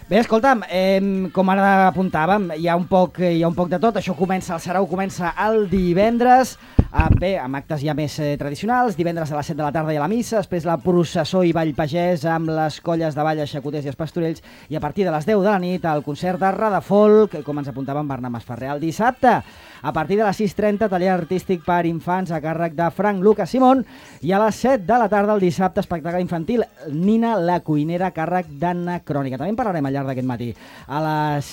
Bé, escolta'm, com ara apuntàvem, hi ha un poc de tot. Això comença, el Sarau comença el divendres, amb actes ja més tradicionals. Divendres a les 7 de la tarda hi ha la missa, després la processó i ball pagès amb les colles de ball, els xacoters i els pastorells, i a partir de les 10 de la nit el concert de Radafolk, com ens apuntava en Bernat Masferrer. El dissabte, a partir de les 6:30, taller artístic per infants a càrrec de Frank Lucas Simón, i a les 7 de la tarda el dissabte, espectacle infantil Nina la cuinera a càrrec d'Anna Crònica. També en parlarem al llarg d'aquest matí. A les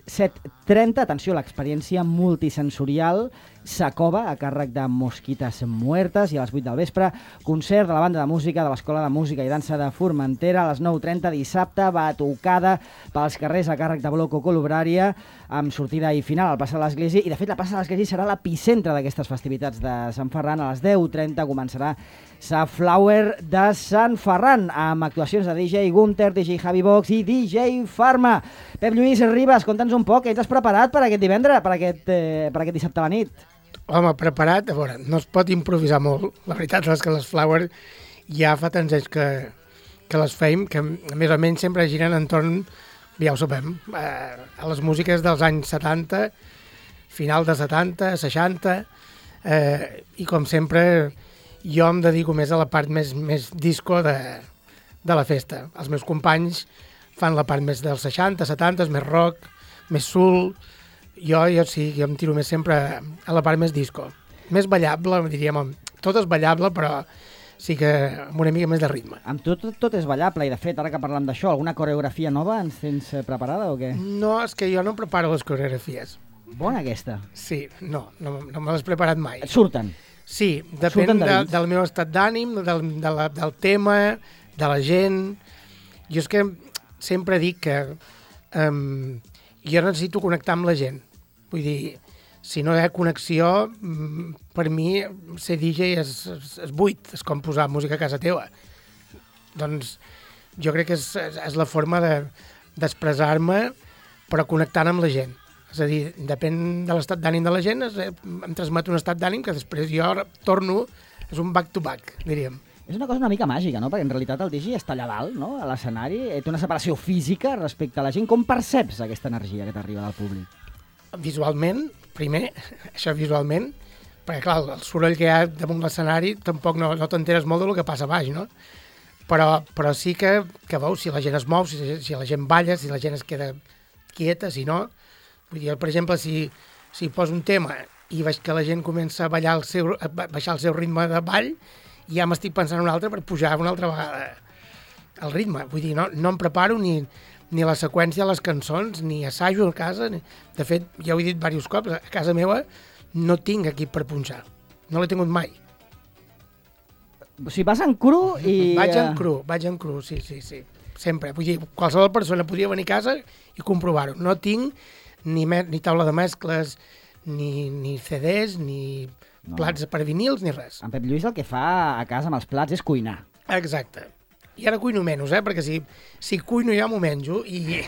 7:30, atenció, l'experiència multisensorial Sacova, a càrrec de Mosquitas Muertes, i a les 8 del vespre, concert de la banda de música de l'Escola de Música i Dansa de Formentera. A les 9:30, dissabte, batucada pels carrers a càrrec de Bloco Colubrària, amb sortida i final al Plaça de l'Església, i de fet la Plaça de l'Església serà l'epicentre d'aquestes festivitats de Sant Ferran. A les 10:30 començarà Sa Flower de Sant Ferran, amb actuacions de DJ Gunter, DJ Javi Box i DJ Farma. Pep Lluís Ribas, conta'ns un poc, què t'has preparat per aquest divendres, per aquest dissabte a la nit? Home, preparat, a veure, no es pot improvisar molt. La veritat és que les Flower ja fa tants anys que les feim, que més o menys sempre giren entorn, ja ho sabem, a les músiques dels anys 70, final de 70, 60, i com sempre jo em dedico més a la part més disco de la festa. Els meus companys fan la part més dels 60, 70, més rock, més soul. Jo sí, jo em tiro més sempre a la part més disco. Més ballable, diríem. Tot és ballable, però sí que amb una mica més de ritme. Amb tot és ballable, i de fet, ara que parlem d'això, alguna coreografia nova ens tens preparada o què? No, és que jo no preparo les coreografies. Bona aquesta. Sí, no me l'he preparat mai. Et surten? Sí, depèn del meu estat d'ànim, del tema, de la gent. Jo és que sempre dic que jo necessito connectar amb la gent. Vull dir, si no hi ha connexió, per mi ser DJ és buit, és com posar música a casa teva. Doncs jo crec que és la forma d'expressar-me, però connectant amb la gent. És a dir, depèn de l'estat d'ànim de la gent, em transmet un estat d'ànim que després jo torno, és un back-to-back, diríem. És una cosa una mica màgica, no? Perquè en realitat el DJ està allà dalt, no? A l'escenari, té una separació física respecte a la gent. Com perceps aquesta energia que t'arriba del públic? Visualment, primer, això visualment, perquè clar, el soroll que hi ha damunt l'escenari tampoc no t'enteres molt del que passa a baix, no? Però sí que veus si la gent es mou, si la gent balla, si la gent es queda quieta, si no. Vull dir, per exemple, si poso un tema i veig que la gent comença a ballar a baixar el seu ritme de ball, ja m'estic pensant un altre per pujar una altra vegada el ritme. Vull dir, no em preparo ni la seqüència de les cançons, ni assajo a casa. De fet, ja ho he dit diversos cops, a casa meva no tinc equip per punxar. No l'he tingut mai. O sigui, vas en cru i... Vaig en cru, sí. Sempre. Vull dir, qualsevol persona podria venir a casa i comprovar-ho. No tinc ni taula de mescles, ni CDs, ni plats per vinils, ni res. En Pep Lluís el que fa a casa amb els plats és cuinar. Exacte. I ara cuino menys, perquè si cuino ja m'ho menjo i...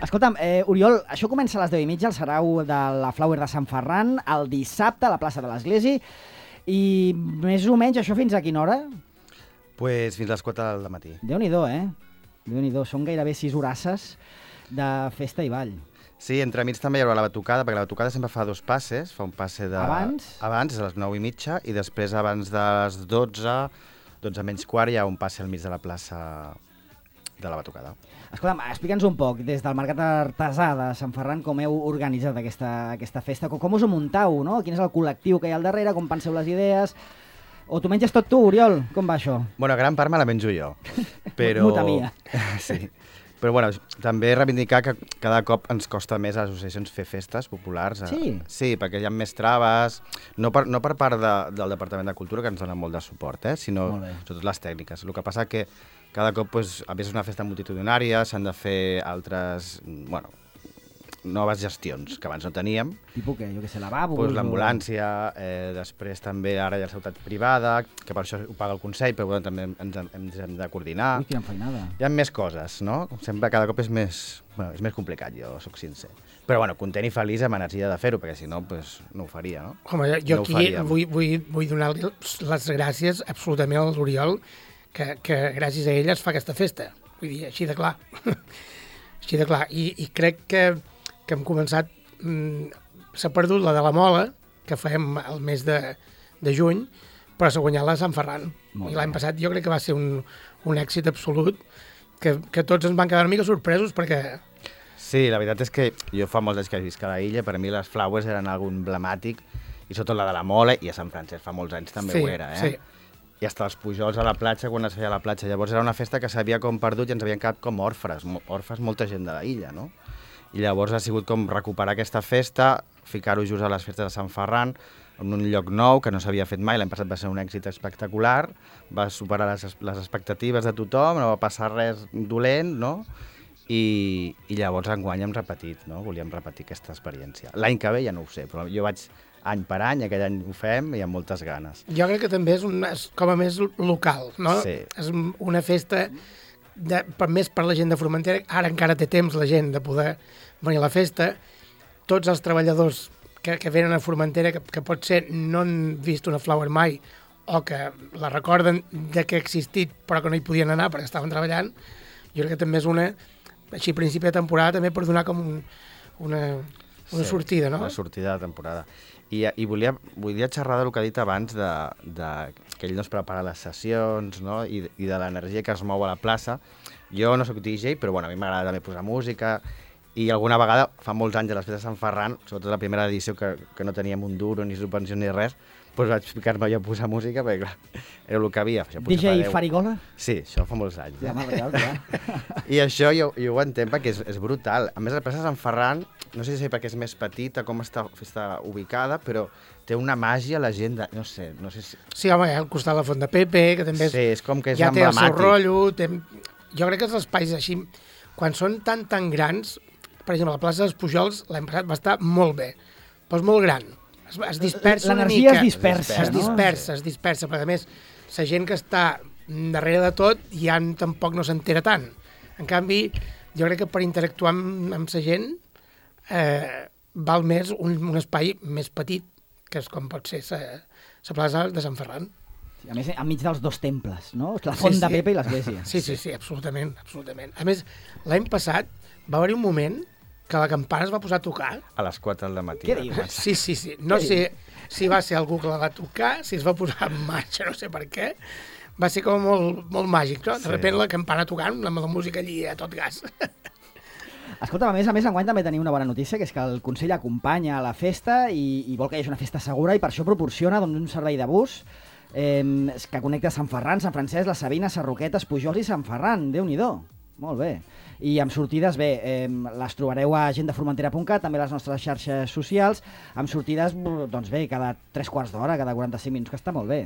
Escolta'm, Oriol, això comença a les 10:30, el Sarau de la Flower de Sant Ferran, el dissabte a la plaça de l'Església, i més o menys això fins a quina hora? Pues fins a les 4 del matí. Déu-n'hi-do, Déu-n'hi-do, són gairebé 6 horasses de festa i ball. Sí, entremig també hi haurà la batucada, perquè la batucada sempre fa 2 passes, fa un passe de... Abans? Abans, a les 9:30, i després abans de les 12 menys quart, hi ha un passe al mig de la plaça de la batucada. Escolta'm, explica'ns un poc, des del Mercat Artesà de Sant Ferran, com heu organitzat aquesta festa, com us ho muntau, no? Quin és el col·lectiu que hi ha al darrere, com penseu les idees... O t'ho menges tot tu, Oriol? Com va això? Bueno, gran part me la menjo jo, però... Muta mia. Sí. Però bueno, també reivindicar que cada cop ens costa més a les associacions fer festes populars. Sí? Sí, perquè hi ha més traves, no per part del Departament de Cultura, que ens dona molt de suport, sinó sobretot les tècniques. El que passa que cada cop, a més, és una festa multitudinària, s'han de fer altres, noves gestions que abans no teníem. Tipus què? Jo què sé, lavabos? Pues l'ambulància, després també ara hi ha la seguretat privada, que per això ho paga el Consell, però bueno, també ens hem de coordinar. Ui, quina feinada. Hi ha més coses, no? Sempre cada cop és més complicat, jo sóc sincer. Però bueno, content i feliç amb energia de fer-ho, perquè si no, pues, no ho faria, no? Home, jo aquí vull donar-li les gràcies absolutament a l'Oriol, que gràcies a ell es fa aquesta festa. vull dir, així de clar. Així de clar. I crec que hem començat... s'ha perdut la de la Mola, que fèiem el mes de juny, però s'ha guanyat la de Sant Ferran. I l'any passat jo crec que va ser un èxit absolut, que tots ens van quedar una mica sorpresos, perquè... Sí, la veritat és que jo fa molts anys que visc a la illa, per a mi les Flowers eren algo emblemàtic, i sobretot la de la Mola, i a Sant Francesc fa molts anys també ho era, Sí. I hasta els pujols a la platja, quan es feia a la platja. Llavors era una festa que s'havia com perdut i ens havien quedat com orfes molta gent de la illa, no? I llavors ha sigut com recuperar aquesta festa, ficar-ho just a les festes de Sant Ferran, en un lloc nou que no s'havia fet mai. L'any passat va ser un èxit espectacular, va superar les expectatives de tothom, no va passar res dolent, no? I llavors enguany hem repetit, no? Volíem repetir aquesta experiència. L'any que ve ja no ho sé, però jo vaig any per any, aquell any ho fem i amb moltes ganes. Jo crec que també és com a més local, no? Sí. És una festa més per la gent de Formentera. Ara encara té temps la gent de poder venir a la festa. Tots els treballadors que venen a Formentera, que potser no han vist una Flower mai, o que la recorden de que ha existit però que no hi podien anar perquè estaven treballant, jo crec que també és així a principi de temporada, també per donar com una sortida, no? Una sortida de temporada. I volia xerrar del que ha dit abans, que ell no es prepara les sessions, no? I de l'energia que es mou a la plaça. Jo no sóc DJ, però bueno, a mi m'agrada també posar música, i alguna vegada, fa molts anys a les festes de Sant Ferran, sobretot la primera edició que no teníem un duro, ni subvenció ni res, doncs vaig ficar-me jo a posar música, perquè clar, era el que havia. DJ Farigola? Sí, això fa molts anys. Ja, ja. I això jo ho entenc perquè és brutal. A més, la plaça de Sant Ferran, no sé si perquè és més petita, com està ubicada, però té una màgia la gent, no sé si... Sí, home, al costat de la Font de Pepe, que també és com que és ja té el seu emblemàtic. rotllo. Jo crec que els espais així, quan són tan grans, per exemple, la plaça dels Pujols l'any passat va estar molt bé, però és molt gran. Es dispersa una mica. L'energia es dispersa, no? Es dispersa, però a més, la gent que està darrere de tot ja tampoc no s'entera tant. En canvi, jo crec que per interactuar amb la gent val més un espai més petit, que és com pot ser la plaça de Sant Ferran. A més, enmig dels dos temples, no? La Font de Pepe i l'església. Sí, absolutament. A més, l'any passat va haver-hi un moment que la campana es va posar a tocar. A les 4 del matí. Què dius? Sí. No sé si va ser algú que la va tocar, si es va posar en marxa, no sé per què. Va ser com molt màgic, no? De sobte la campana tocant, amb la música allí a tot gas. Escolta, a més, enguany també tenim una bona notícia, que és que el Consell acompanya a la festa i vol que hi hagi una festa segura i per això proporciona un servei de bus que connecta Sant Ferran, Sant Francesc, la Sabina, Sarroquetes, Pujols i Sant Ferran. Déu-n'hi-do. Molt bé. I amb sortides, les trobareu a gendeformentera.cat, també a les nostres xarxes socials, amb sortides, doncs bé, cada 3/4 d'hora, cada 45 minuts, que està molt bé.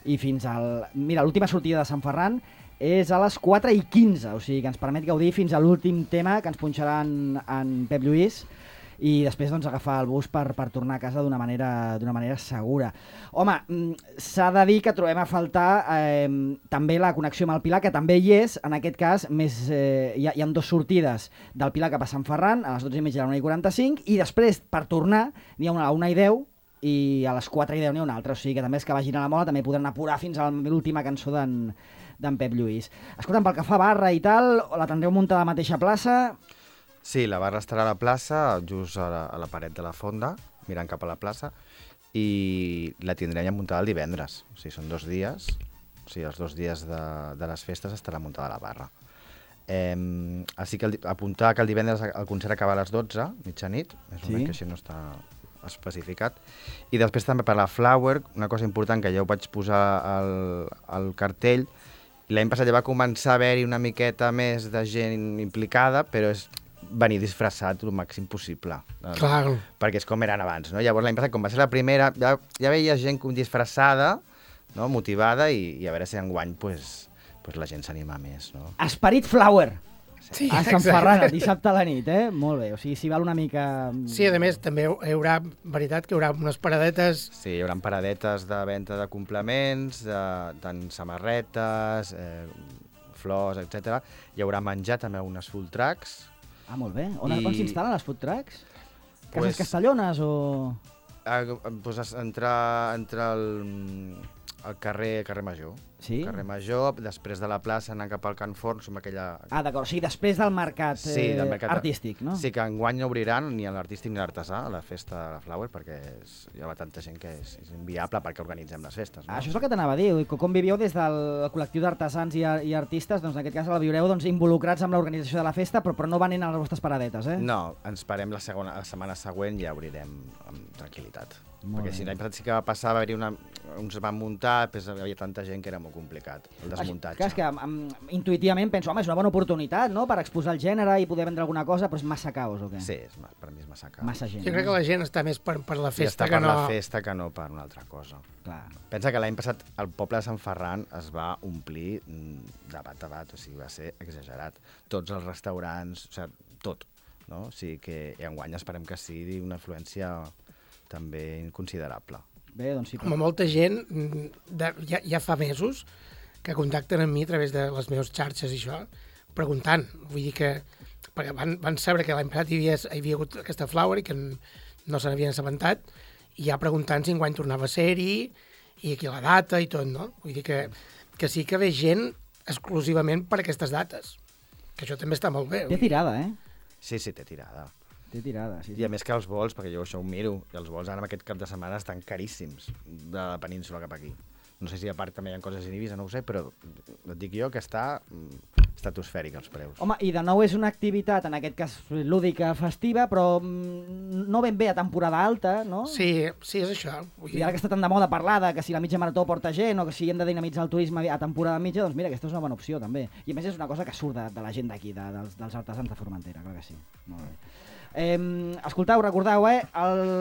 I fins al... Mira, l'última sortida de Sant Ferran és a les 4:15, o sigui que ens permet gaudir fins a l'últim tema que ens punxarà en Pep Lluís, i després doncs, agafar el bus per tornar a casa d'una manera segura. Home, s'ha de dir que trobem a faltar també la connexió amb el Pilar, que també hi és, en aquest cas hi ha 2 sortides del Pilar cap a Sant Ferran, a les 12:30 i a la 1:45, i després, per tornar, n'hi ha una a la 1:10 i a les 4:10 n'hi ha una altra, o sigui que també els que vagin a la Mola també podran apurar fins a l'última cançó d'en Pep Lluís. Escolta'm, pel que fa a barra i tal, la tindreu muntada a la mateixa plaça? Sí, la barra estarà a la plaça, just a la paret de la fonda, mirant cap a la plaça, i la tindrem ja muntada el divendres. O sigui, són 2 dies, o sigui, els 2 dies de les festes estarà muntada la barra. Així que apuntar que el divendres el concert acaba a les 12, mitjanit, és una que així no està especificat. I després també per la Flower, una cosa important que ja ho vaig posar al cartell, l'any passat ja va començar a haver-hi una miqueta més de gent implicada, però és venir disfressat el màxim possible. Clar. Perquè és com eren abans, no? Llavors l'any passat, com va ser la primera, ja veia gent disfressada, no? Motivada, i a veure si enguany pues la gent s'anima més, no? Esperit Flower! Sí, a Sant Ferran, dissabte a la nit, Molt bé, o sigui, s'hi val una mica... Sí, a més, també hi haurà, veritat, que hi haurà unes paradetes... Sí, hi haurà paradetes de venda de complements, tant samarretes, flors, etc. Hi haurà menjar també unes full trucks. Ah, molt bé. On s'instal·len les food trucks? Cases Castellones o...? Entre Al carrer Major. Sí? Carrer Major, després de la plaça anant cap al Can Forn, som aquella... D'acord, o sigui, després del mercat, del mercat artístic, no? Sí, que enguany no obriran ni l'artístic ni l'artesà a la festa de la Flower, perquè hi ha tanta gent que és inviable perquè organitzem les festes. No? Això és el que t'anava a dir, com vivieu des del col·lectiu d'artesans i artistes, doncs en aquest cas la viureu involucrats amb l'organització de la festa, però no venint a les vostres paradetes, eh? No, ens parem la setmana següent i ja obrirem amb tranquil·litat. Molt perquè bé. si l'any passat sí que va passar, va haver-hi uns van muntar, després hi havia tanta gent que era molt complicat, el desmuntatge. Clar, és que intuïtivament penso, home, és una bona oportunitat, no?, per exposar el gènere i poder vendre alguna cosa, però és massa caos, o què? Sí, per mi és massa caos. Massa gent. Jo crec que la gent està més per la festa I que està no... per la festa que no per una altra cosa. Clar. Pensa que l'any passat el poble de Sant Ferran es va omplir de bat a bat, o sigui, va ser exagerat. Tots els restaurants, o sigui, tot. No? O sigui que enguany esperem que sigui una influència també considerable. Bé, doncs sí. Home, molta gent ja fa mesos que contacten amb mi a través de les meves xarxes i això, preguntant. Vull dir que perquè van saber que l'any passat hi havia hagut aquesta Flower i que no se n'havien assabentat, i ja preguntant si enguany tornava a ser-hi i aquí la data i tot, no? Vull dir que sí que ve gent exclusivament per aquestes dates, que això també està molt bé. Té tirada, eh? Sí, té tirada. Té tirada, sí. I a més que els vols, perquè jo això ho miro, i els vols ara en aquest cap de setmana estan caríssims de la península cap aquí. No sé si a part també hi ha coses in Ibiza, no ho sé, però et dic jo que està estratosfèric els preus. Home, i de nou és una activitat, en aquest cas lúdica, festiva, però no ben bé a temporada alta, no? Sí, és això. I ara que està tan de moda parlar de que si la mitja marató porta gent o que si hem de dinamitzar el turisme a temporada mitja, doncs mira, aquesta és una bona opció també. I a més és una cosa que surt de la gent d'aquí, dels artesans de Formentera, clar que sí. Molt bé. Escolteu, recordeu,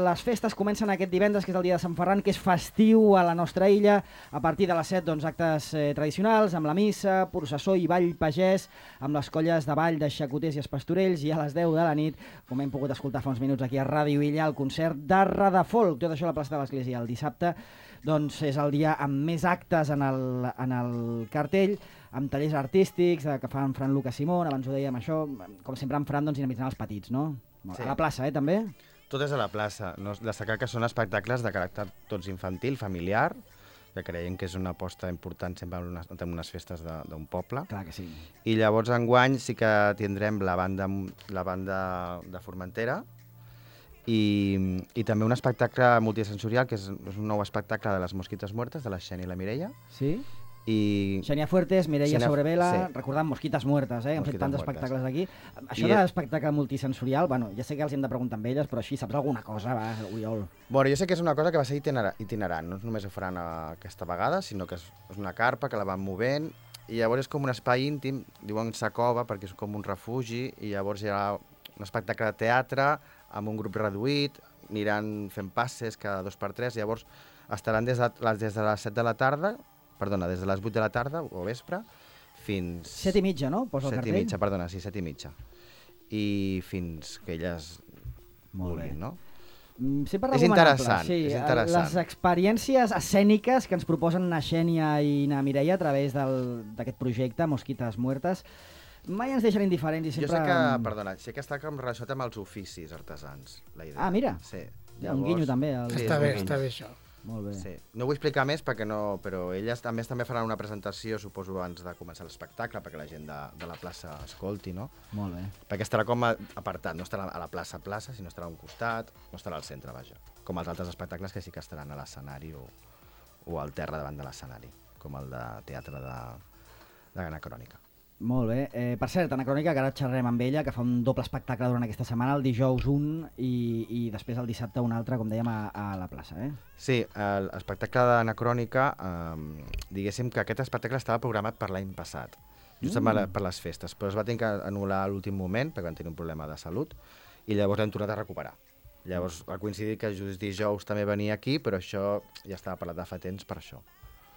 les festes comencen aquest divendres, que és el dia de Sant Ferran, que és festiu a la nostra illa. A partir de les 7, doncs, actes tradicionals, amb la missa, processó i ball pagès, amb les colles de ball de xacoters i espastorells, i a les 10 de la nit, com hem pogut escoltar fa uns minuts aquí a Ràdio Illa, el concert de Radafolk. Tot això a la plaça de l'Església. El dissabte doncs, és el dia amb més actes en el cartell, amb tallers artístics que fan Fran Lucas Simón, abans ho dèiem això, com sempre en Fran, doncs, dinamitzant els petits, no? Sí. A la plaça, també? Tot és a la plaça. Destacar que són espectacles de caràcter tots infantil, familiar, que creiem que és una aposta important sempre en unes festes d'un poble. Clar que sí. I llavors enguany sí que tindrem la banda de Formentera i també un espectacle multisensorial, que és un nou espectacle de les Mosquites Muertes, de la Xènia i la Mireia. Sí? I Xènia Fuertes, Mireia Sobrevela, sí. Recordant Mosquites Muertes, hem fet tants espectacles aquí. Això de l'espectacle multisensorial, bueno, ja sé que els hem de preguntar amb elles, però així saps alguna cosa, va, Oriol? Bueno, jo sé que és una cosa que va ser itinerant, no només ho faran aquesta vegada, sinó que és una carpa que la van movent, i llavors és com un espai íntim, diuen Sacova, perquè és com un refugi, i llavors hi ha un espectacle de teatre amb un grup reduït, aniran fent passes cada 2x3, llavors estaran des de les 7 de la tarda, perdona, des de les 8 de la tarda o vespre fins... 7:30, no? Posa el cartell? 7:30, perdona, sí, 7:30. I fins que elles vulguin, no? Sempre és interessant, sí, és interessant. Les experiències escèniques que ens proposen na Xènia i na Mireia a través d'aquest projecte, Mosquites Muertes, mai ens deixen indiferents i sempre... Jo sé que, perdona, sé que està relacionat amb els oficis artesans, la idea. Ah, mira, sí. Un guinyo també. Està bé això. Molt bé. Sí. No vull explicar més perquè no, però elles també faran una presentació, suposo, abans de començar l'espectacle, perquè la gent de la plaça escolti, no? Molt bé. Perquè estarà com apartat, no estarà a la plaça, sinó estarà a un costat, no estarà al centre, vaja. Com els altres espectacles que sí que estaran a l'escenari o al terra davant de l'escenari, com el de teatre de Anacrònica. Molt bé. Per cert, Anacrònica, que ara xerrem amb ella, que fa un doble espectacle durant aquesta setmana, el dijous un i després el dissabte un altre, com dèiem, a la plaça, eh? Sí, l'espectacle d'Anacrònica, diguéssim que aquest espectacle estava programat per l'any passat, justament per les festes, però es va tenir que anul·lar a l'últim moment, perquè van tenir un problema de salut, i llavors l'hem tornat a recuperar. Llavors ha coincidit que just dijous també venia aquí, però això ja estava parlat de fa temps per això.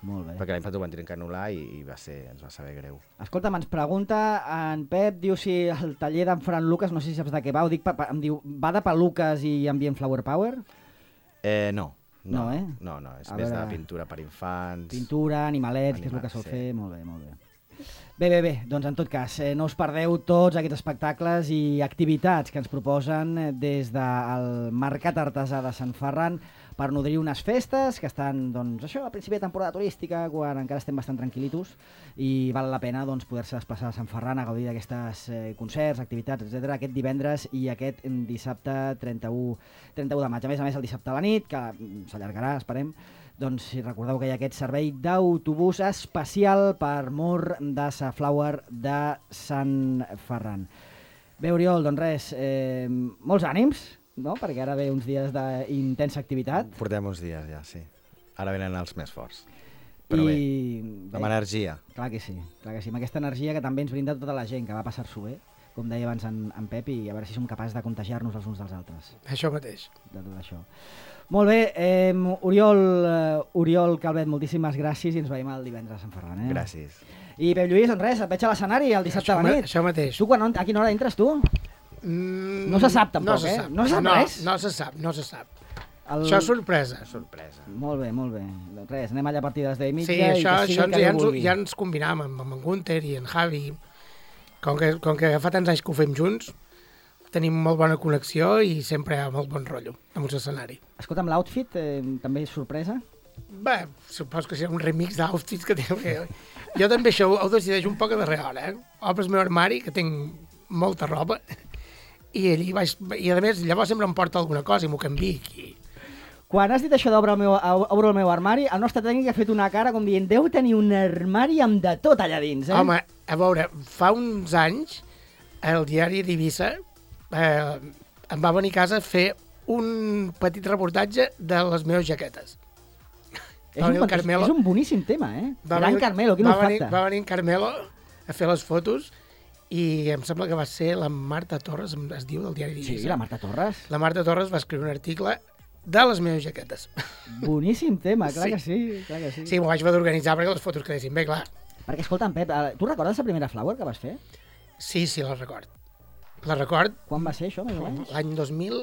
Molt bé. Perquè l'any passat ho van tenir que anul·lar i ens va saber greu. Escolta'm, ens pregunta en Pep, diu si el taller d'en Fran Lucas, no sé si saps de què va, em diu, va de peluques i ambient flower power? No, eh? No, és més de pintura per infants. Pintura, animalets, que és el que sol fer, molt bé, molt bé. Bé, doncs en tot cas, no us perdeu tots aquests espectacles i activitats que ens proposen des del Mercat Artesà de Sant Ferran, per nodrir unes festes que estan, doncs, això, a principi de temporada turística, quan encara estem bastant tranquil·litos, i val la pena doncs, poder-se desplaçar a Sant Ferran a gaudir d'aquestes concerts, activitats, etc. aquest divendres i aquest dissabte 31 de maig. A més, el dissabte a la nit, que s'allargarà, esperem, doncs si recordeu que hi ha aquest servei d'autobús especial per Mur de Safflower de Sant Ferran. Bé, Oriol, doncs res, molts ànims, no? Perquè ara ve uns dies d'intensa activitat. Portem uns dies ja, sí. Ara venen els més forts. Però bé, amb energia. Clar que sí, amb aquesta energia que també ens brinda tota la gent que va passar-s'ho bé, com deia abans en Pep, i a veure si som capaços de contagiar-nos els uns dels altres. Això mateix. De tot això. Molt bé, Oriol Calvet, moltíssimes gràcies i ens veiem el divendres a Sant Ferran. Gràcies. I Pep Lluís, doncs res, et veig a l'escenari el dissabte a la nit. Això mateix. Tu a quina hora entres, tu? No se sap tampoc, No se sap res? No se sap. Això és sorpresa. Molt bé. Doncs res, anem allà a partir de les 10:30. Sí, això ja ens combinàvem amb en Gunther i en Javi. Com que fa tants anys que ho fem junts, tenim molt bona connexió i sempre hi ha molt bon rotllo amb l'escenari. Escolta'm, l'outfit també és sorpresa? Bé, supos que serà un remix d'outfits que tinc. Jo també això ho decideixo un poc a darrera hora. Obres el meu armari, que tinc molta roba, i a més llavors sempre em porta alguna cosa i m'ho canvic. Quan has dit això d'obre el meu armari, el nostre tècnic ha fet una cara com dient deu tenir un armari amb de tot allà dins, Home, a veure, fa uns anys el diari d'Eivissa em va venir a casa a fer un petit reportatge de les meves jaquetes. És un boníssim tema, Gran Carmelo, quin olfacte. Va venir en Carmelo a fer les fotos i em sembla que va ser la Marta Torres, es diu, del diari d'Eivissa. Sí, la Marta Torres. La Marta Torres va escriure un article de les meves jaquetes. Boníssim tema, clar que sí. Sí, m'ho vaig haver d'organitzar perquè les fotos quedessin bé, clar. Perquè, escolta'm, Pep, tu recordes la primera Flower que vas fer? Sí, la record. La record. Quan va ser això, més o menys? L'any 2000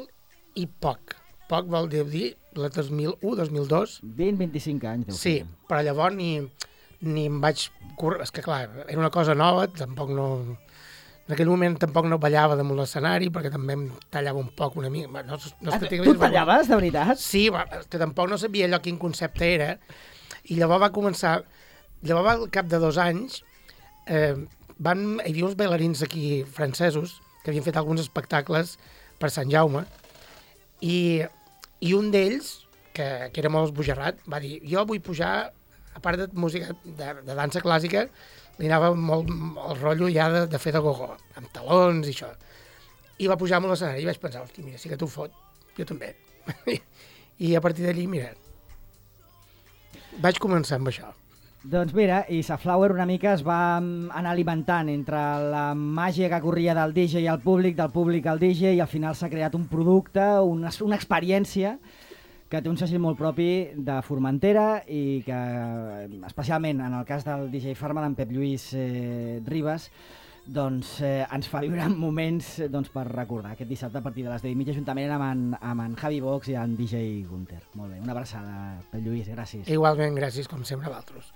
i poc. Poc vol dir la 2001, 2002. 20-25 anys. Sí, però llavors ni em vaig... És que clar, era una cosa nova, tampoc no... En aquell moment tampoc no ballava damunt l'escenari, perquè també em tallava un poc una mica. Tu tallaves, de veritat? Sí, que tampoc no sabia allò quin concepte era. I llavors va començar... Llavors, al cap de 2 anys, hi havia uns bailarins aquí francesos que havien fet alguns espectacles per Sant Jaume, i un d'ells, que era molt esbojarrat, va dir, jo vull pujar, a part de música de dansa clàssica, li anava molt el rotllo ja de fer de gogó, amb talons i això. I va pujar amb l'escenari i vaig pensar, hosti, mira, sí que t'ho fot, jo també. I a partir d'allí, mira, vaig començar amb això. Doncs mira, i Safflower una mica es va anar alimentant entre la màgia que corria del DJ al públic, del públic al DJ, i al final s'ha creat un producte, una experiència que té un segell molt propi de Formentera i que, especialment en el cas del DJ Farma, d'en Pep Lluís Ribas, doncs ens fa viure moments per recordar aquest dissabte a partir de les 10:30 juntament amb en Javi Box i en DJ Gunther. Molt bé, una abraçada, Pep Lluís, gràcies. Igualment, gràcies com sempre a vosaltres.